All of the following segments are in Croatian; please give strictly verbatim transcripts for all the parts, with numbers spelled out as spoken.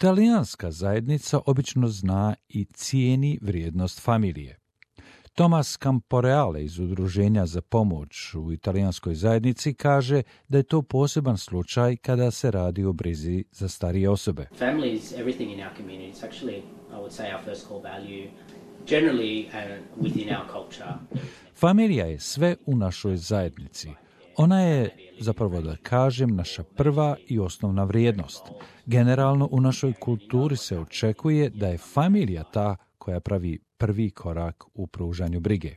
Talijanska zajednica obično zna i cijeni vrijednost familije. Thomas Camporeale iz Udruženja za pomoć u italijanskoj zajednici kaže da je to poseban slučaj kada se radi o brizi za starije osobe. Family is everything in our community. It's actually, I would say, our first core value. Generally, uh, within our culture. Familija je sve u našoj zajednici. Ona je, zapravo da kažem, naša prva i osnovna vrijednost. Generalno u našoj kulturi se očekuje da je familija ta koja pravi prvi korak u pružanju brige.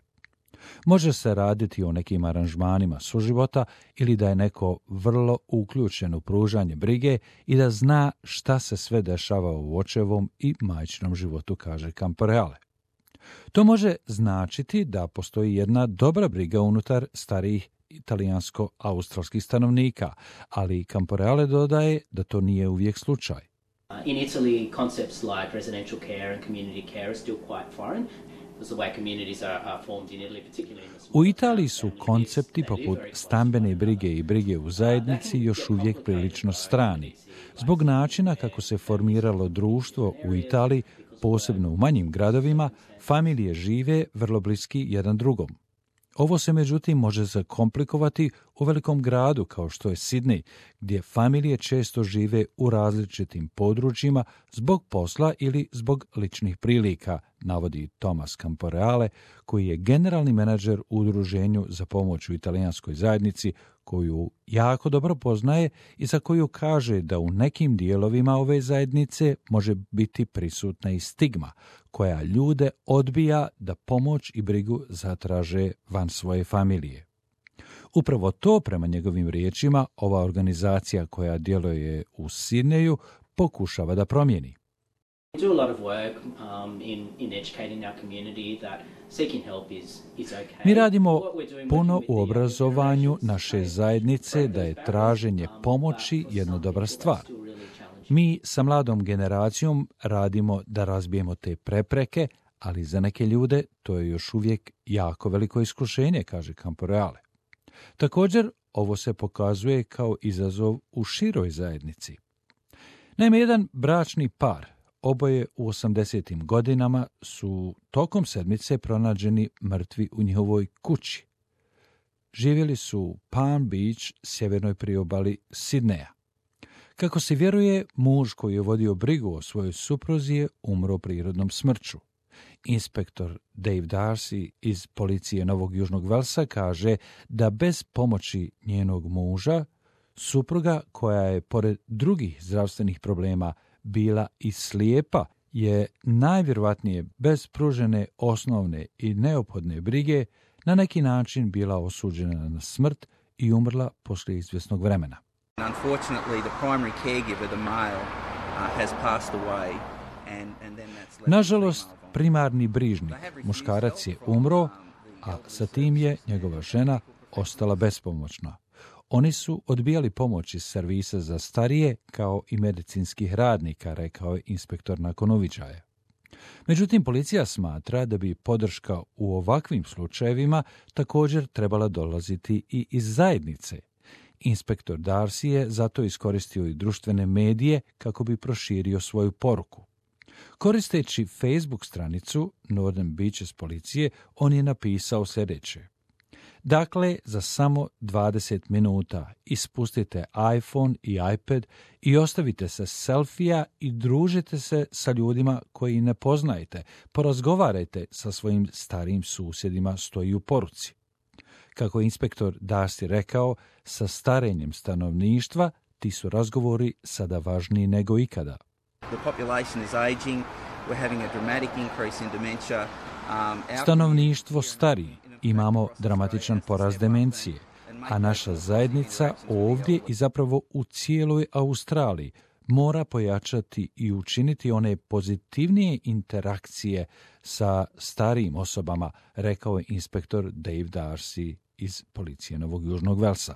Može se raditi o nekim aranžmanima suživota ili da je neko vrlo uključen u pružanje brige i da zna šta se sve dešava u očevom i majčinom životu, kaže Camporeale. To može značiti da postoji jedna dobra briga unutar starijih italijansko-australskih stanovnika, ali Camporeale dodaje da to nije uvijek slučaj. In Italy, concepts like residential care and community care are still quite foreign. The way communities are, are formed in Italy, particularly in the small U Italiji su koncepti poput stambene brige i brige u zajednici još uvijek prilično strani. Zbog načina kako se formiralo društvo u Italiji, posebno u manjim gradovima, familije žive vrlo bliski jedan drugom. Ovo se međutim može zakomplikovati u velikom gradu kao što je Sidney, gdje familije često žive u različitim područjima zbog posla ili zbog ličnih prilika, navodi Thomas Camporeale, koji je generalni menadžer u Udruženju za pomoć u italijanskoj zajednici, koju jako dobro poznaje i za koju kaže da u nekim dijelovima ove zajednice može biti prisutna i stigma, koja ljude odbija da pomoć i brigu zatraže van svoje familije. Upravo to, prema njegovim riječima, ova organizacija koja djeluje u Sidneju pokušava da promijeni. We do a lot of work um, in, in educating our community that seeking help is, is okay. Mi radimo puno u obrazovanju naše zajednice da je traženje pomoći jedna dobra stvar. Mi sa mladom generacijom radimo da razbijemo te prepreke, ali za neke ljude to je još uvijek jako veliko iskušenje, kaže Camporeale. Također, ovo se pokazuje kao izazov u široj zajednici. Naime, jedan bračni par, oboje u osamdesetim godinama, su tokom sedmice pronađeni mrtvi u njihovoj kući. Živjeli su u Palm Beach, sjevernoj priobali Sidneja. Kako se vjeruje, muž koji je vodio brigu o svojoj supruzi je umro prirodnom smrću. Inspektor Dave Darcy iz policije Novog Južnog Velsa kaže da bez pomoći njenog muža, supruga koja je pored drugih zdravstvenih problema bila i slijepa, je najvjerojatnije bez pružene osnovne i neophodne brige na neki način bila osuđena na smrt i umrla poslije izvjesnog vremena. Unfortunately, the primary caregiver, the male, uh, has passed away, and, and then that's left. Nažalost, primarni brižnik, muškarac je umro, a sa tim je njegova žena ostala bespomoćna. Oni su odbijali pomoć iz servisa za starije kao i medicinskih radnika, rekao je inspektor nakon uviđaja. Međutim, policija smatra da bi podrška u ovakvim slučajevima također trebala dolaziti i iz zajednice. Inspektor Darcy je zato iskoristio i društvene medije kako bi proširio svoju poruku. Koristeći Facebook stranicu Northern Beaches policije, on je napisao sljedeće. Dakle, za samo dvadeset minuta ispustite iPhone i iPad i ostavite se selfija i družite se sa ljudima koji ne poznajete. Porazgovarajte sa svojim starijim susjedima, stoji u poruci. Kako je inspektor Darcy rekao, sa starenjem stanovništva ti su razgovori sada važniji nego ikada. The population is aging. We're having a dramatic increase in dementia. Um, our Stanovništvo stari, imamo dramatičan porast demencije, a naša zajednica ovdje i zapravo u cijeloj Australiji mora pojačati i učiniti one pozitivnije interakcije sa starijim osobama, rekao je inspektor Dave Darcy iz policije Novog Južnog Velsa.